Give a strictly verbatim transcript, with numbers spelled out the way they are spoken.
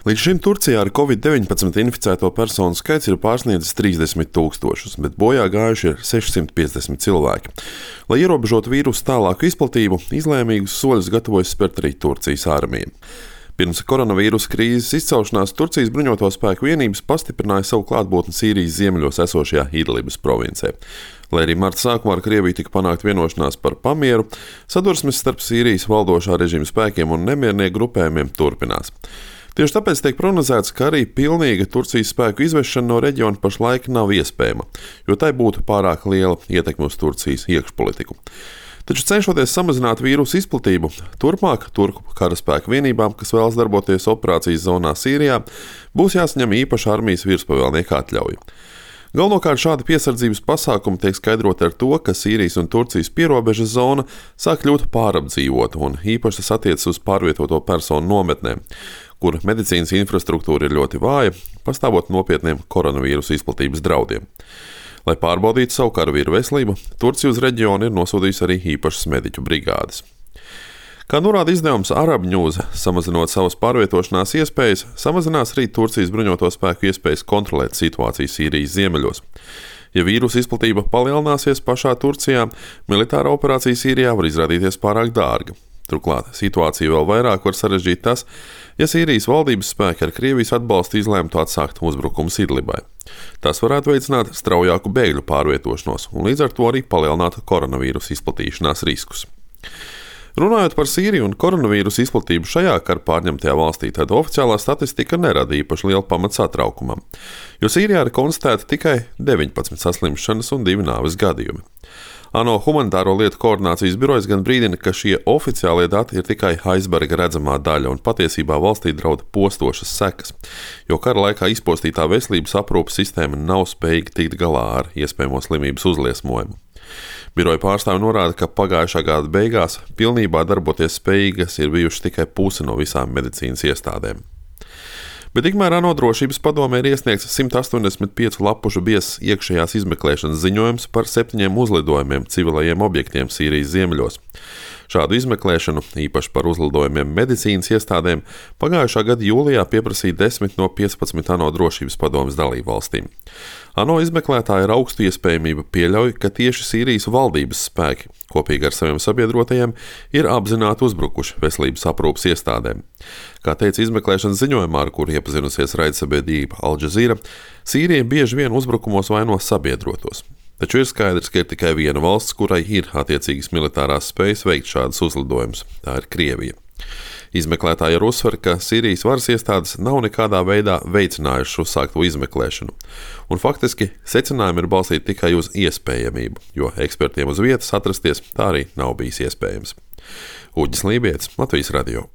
Līdz šim Turcijā ar covid deviņpadsmit inficēto personu skaits ir pārsniedzis trīsdesmit tūkstošus, bet bojā gājuši ir sešsimt piecdesmit cilvēki. Lai ierobežotu vīrusu tālāku izplatību, izlēmīgus soļus gatavojas spērt arī Turcijas armija. Pirms koronavīrusa krīzes izcelšanās Turcijas bruņoto spēku vienības pastiprināja savu klātbūtni Sīrijas ziemeļos esošajā Idlibas provincē. Lai arī marta sākumā ar Krieviju tika panākt vienošanās par pamieru, sadursmes starp Sīrijas valdošā režīma spēkiem un nemiernieku grupējumiem turpinās. Tieši tāpēc tiek prognozēts, ka arī pilnīga Turcijas spēku izvešana no reģiona pašlaik nav iespējama, jo tai būtu pārāk liela ietekme uz Turcijas iekšpolitiku. Taču cenšoties samazināt vīrusu izplatību, turpmāk turku karaspēku vienībām, kas vēlas darboties operācijas zonā Sīrijā, būs jāsaņem īpaša armijas virspavēlnieka atļauja. Galvenokārt šādi piesardzības pasākumi tiek skaidroti ar to, ka Sīrijas un Turcijas pierobežas zona sāk kļūt pārapdzīvota, un īpaši tas attiecas uz pārvietoto personu nometnēm, kur medicīnas infrastruktūra ir ļoti vāja, pastāvot nopietniem koronavīrusa izplatības draudiem. Lai pārbaudītu savu karavīru veselību, Turcija uz reģionu ir nosūtījusi arī īpašas mediķu brigādes. Kā norāda izdevums Arab News, samazinot savas pārvietošanās iespējas, samazinās arī Turcijas bruņoto spēku iespējas kontrolēt situāciju Sīrijas ziemeļos. Ja vīrusa izplatība palielināsies pašā Turcijā, militāra operācija Sīrijā var izrādīties pārāk dārga. Turklāt situāciju vēl vairāk var sarežģīt tas, ja Sīrijas valdības spēki ar Krievijas atbalstu izlēmtu atsākt uzbrukumus Idlibai. Tas varētu veicināt straujāku bēgļu pārvietošanos un līdz ar to arī palielināt koronavīrusa izplatīšanās riskus. Runājot par Sīriju un koronavīrusa izplatību šajā kara pārņemtajā valstī, tad oficiālā statistika nerada īpaši lielu pamatu satraukumam, jo Sīrijā ir konstatēta tikai deviņpadsmit saslimšanas un divi nāves gadījumi. ANO humanitāro lietu koordinācijas birojas gan brīdina, ka šie oficiālie dati ir tikai aizberga redzamā daļa un patiesībā valstī draud postošas sekas, jo kara laikā izpostītā veselības aprūpes sistēma nav spējīga tikt galā ar iespējamo slimības uzliesmojumu. Biroja pārstāvi norāda, ka pagājušā gada beigās pilnībā darboties spējīgas ir bijušas tikai puse no visām medicīnas iestādēm. Bet tikmēr ANO drošības padomē ir iesniegts simt astoņdesmit piecu lapušu biezs iekšējās izmeklēšanas ziņojums par septiņiem uzlidojumiem civilajiem objektiem Sīrijas ziemeļos. Šādu izmeklēšanu, īpaši par uzlidojumiem medicīnas iestādēm, pagājušā gada jūlijā pieprasīja desmit no piecpadsmit ANO drošības padomes dalībvalstīm. ANO izmeklētāji ar augstu iespējamību pieļauj, ka tieši Sīrijas valdības spēki, kopīgi ar saviem sabiedrotajiem, ir apzināti uzbrukuši veselības aprūpes iestādēm. Kā teica izmeklēšanas ziņojumā, ar kuru iepazinusies raidsabiedrība Al Jazeera, Sīrija bieži vien uzbrukumos vaino sabiedrotos. Taču ir skaidrs, ka ir tikai viena valsts, kurai ir attiecīgas militārās spējas veikt šādus uzlidojumus. Tā ir Krievija. Izmeklētāji ar uzsver, ka Sīrijas varas iestādes nav nekādā veidā veicinājušas uzsākto izmeklēšanu, un faktiski secinājumi ir balstīti tikai uz iespējamību, jo ekspertiem uz vietas atrasties tā arī nav bijis iespējams. Uģis Lībietis, Latvijas radio.